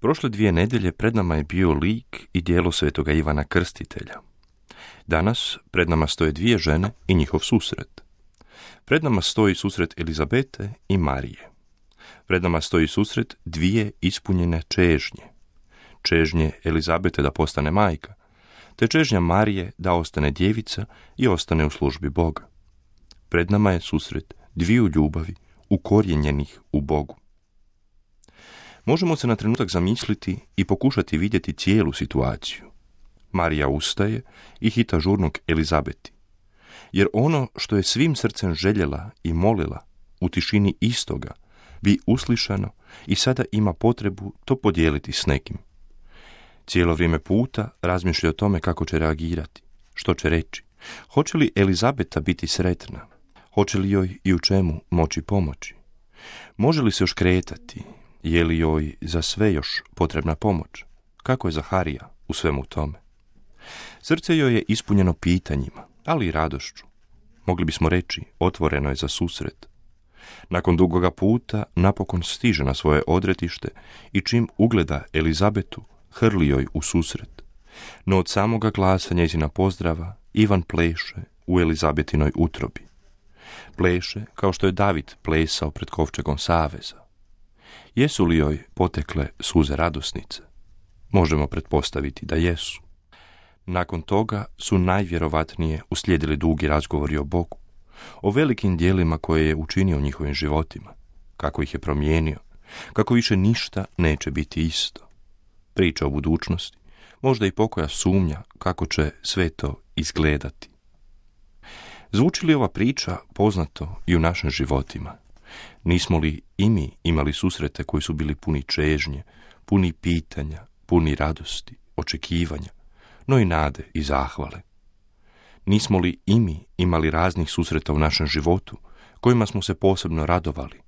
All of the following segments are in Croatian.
Prošle 2 nedjelje pred nama je bio lik i djelo svetoga Ivana Krstitelja. Danas pred nama stoje 2 žene i njihov susret. Pred nama stoji susret Elizabete i Marije. Pred nama stoji susret 2 ispunjene čežnje. Čežnje Elizabete da postane majka, te čežnja Marije da ostane djevica i ostane u službi Boga. Pred nama je susret 2 ljubavi ukorijenjenih u Bogu. Možemo se na trenutak zamisliti i pokušati vidjeti cijelu situaciju. Marija ustaje i hita žurnog Elizabeti, jer ono što je svim srcem željela i molila u tišini istoga bi uslišano i sada ima potrebu to podijeliti s nekim. Cijelo vrijeme puta razmišlja o tome kako će reagirati, što će reći. Hoće li Elizabeta biti sretna? Hoće li joj i u čemu moći pomoći? Može li se još kretati? Je li joj za sve još potrebna pomoć? Kako je Zaharija u svemu tome? Srce joj je ispunjeno pitanjima, ali i radošću. Mogli bismo reći, otvoreno je za susret. Nakon dugoga puta napokon stiže na svoje odretište i čim ugleda Elizabetu, hrli joj u susret. No od samoga glasa njezina pozdrava Ivan pleše u Elizabetinoj utrobi. Pleše kao što je David plesao pred kovčegom saveza. Jesu li joj potekle suze radosnice? Možemo pretpostaviti da jesu. Nakon toga su najvjerovatnije uslijedili dugi razgovori o Bogu, o velikim djelima koje je učinio u njihovim životima, kako ih je promijenio, kako više ništa neće biti isto. Priča o budućnosti, možda i pokoja sumnja kako će sve to izgledati. Zvuči li ova priča poznato i u našim životima? Nismo li i mi imali susrete koji su bili puni čežnje, puni pitanja, puni radosti, očekivanja, no i nade i zahvale? Nismo li i mi imali raznih susreta u našem životu kojima smo se posebno radovali,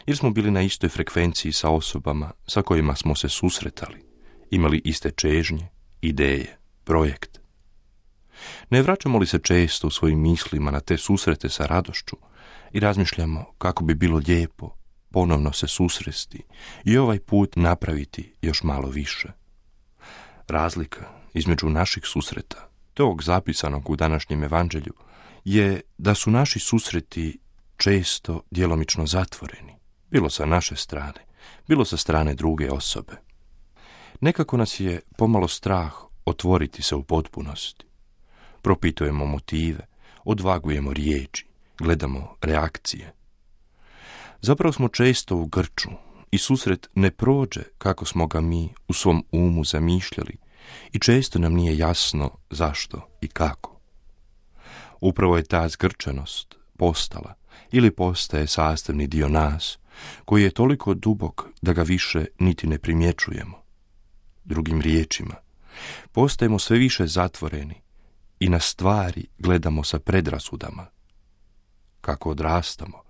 jer smo bili na istoj frekvenciji sa osobama sa kojima smo se susretali, imali iste čežnje, ideje, projekt? Ne vraćamo li se često u svojim mislima na te susrete sa radošću i razmišljamo kako bi bilo lijepo ponovno se susresti i ovaj put napraviti još malo više? Razlika između naših susreta, tog zapisanog u današnjem evanđelju, je da su naši susreti često djelomično zatvoreni, bilo sa naše strane, bilo sa strane druge osobe. Nekako nas je pomalo strah otvoriti se u potpunosti. Propitujemo motive, odvagujemo riječi, gledamo reakcije. Zapravo smo često u grču i susret ne prođe kako smo ga mi u svom umu zamišljali i često nam nije jasno zašto i kako. Upravo je ta zgrčanost postala ili postaje sastavni dio nas, koji je toliko dubok da ga više niti ne primjećujemo. Drugim riječima, postajemo sve više zatvoreni i na stvari gledamo sa predrasudama. Kako odrastamo,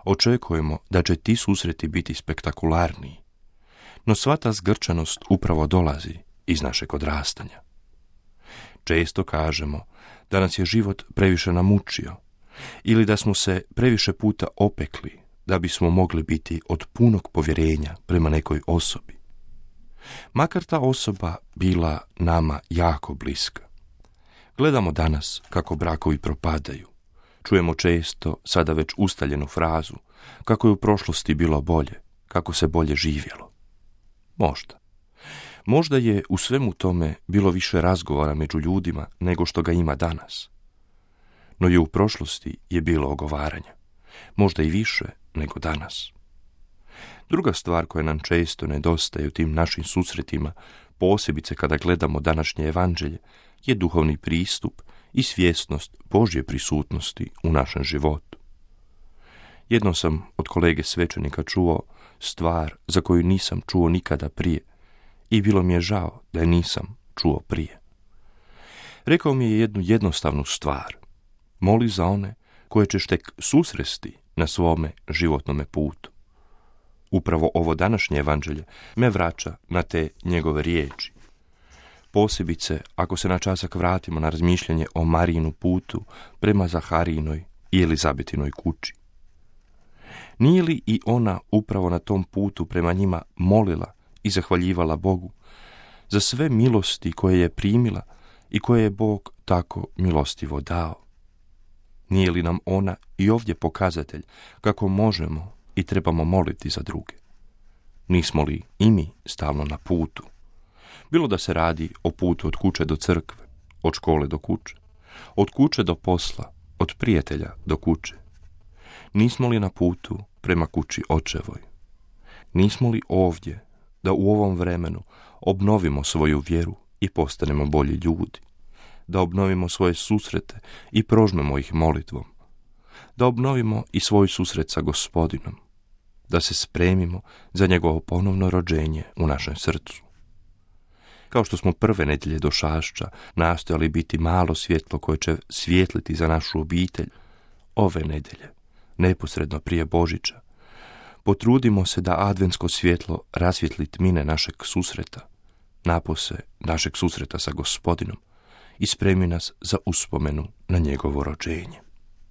očekujemo da će ti susreti biti spektakularniji, no sva ta zgrčanost upravo dolazi iz našeg odrastanja. Često kažemo da nas je život previše namučio ili da smo se previše puta opekli da bismo mogli biti od punog povjerenja prema nekoj osobi. Makar ta osoba bila nama jako bliska. Gledamo danas kako brakovi propadaju. Čujemo često sada već ustaljenu frazu kako je u prošlosti bilo bolje, kako se bolje živjelo. Možda je u svemu tome bilo više razgovora među ljudima nego što ga ima danas. No i u prošlosti je bilo ogovaranja, možda i više nego danas. Druga stvar koja nam često nedostaje u tim našim susretima, posebice kada gledamo današnje evanđelje, je duhovni pristup i svjesnost Božje prisutnosti u našem životu. Jednom sam od kolege svećenika čuo stvar za koju nisam čuo nikada prije i bilo mi je žao da je nisam čuo prije. Rekao mi je jednu jednostavnu stvar. Moli za one koje ćeš tek susresti na svome životnome putu. Upravo ovo današnje evanđelje me vraća na te njegove riječi. Posebice ako se na časak vratimo na razmišljanje o Marijinu putu prema Zaharijinoj i Elizabetinoj kući. Nije li i ona upravo na tom putu prema njima molila i zahvaljivala Bogu za sve milosti koje je primila i koje je Bog tako milostivo dao. Nije li nam ona i ovdje pokazatelj kako možemo i trebamo moliti za druge? Nismo li i mi stalno na putu? Bilo da se radi o putu od kuće do crkve, od škole do kuće, od kuće do posla, od prijatelja do kuće. Nismo li na putu prema kući očevoj? Nismo li ovdje da u ovom vremenu obnovimo svoju vjeru i postanemo bolji ljudi? Da obnovimo svoje susrete i prožmemo ih molitvom? Da obnovimo i svoj susret sa Gospodinom? Da se spremimo za njegovo ponovno rođenje u našem srcu? Kao što smo prve nedjelje do Šašća nastojali biti malo svjetlo koje će svijetliti za našu obitelj, ove nedjelje, neposredno prije Božića, potrudimo se da adventsko svjetlo rasvijetli tmine našeg susreta, napose našeg susreta sa Gospodinom i spremi nas za uspomenu na njegovo rođenje.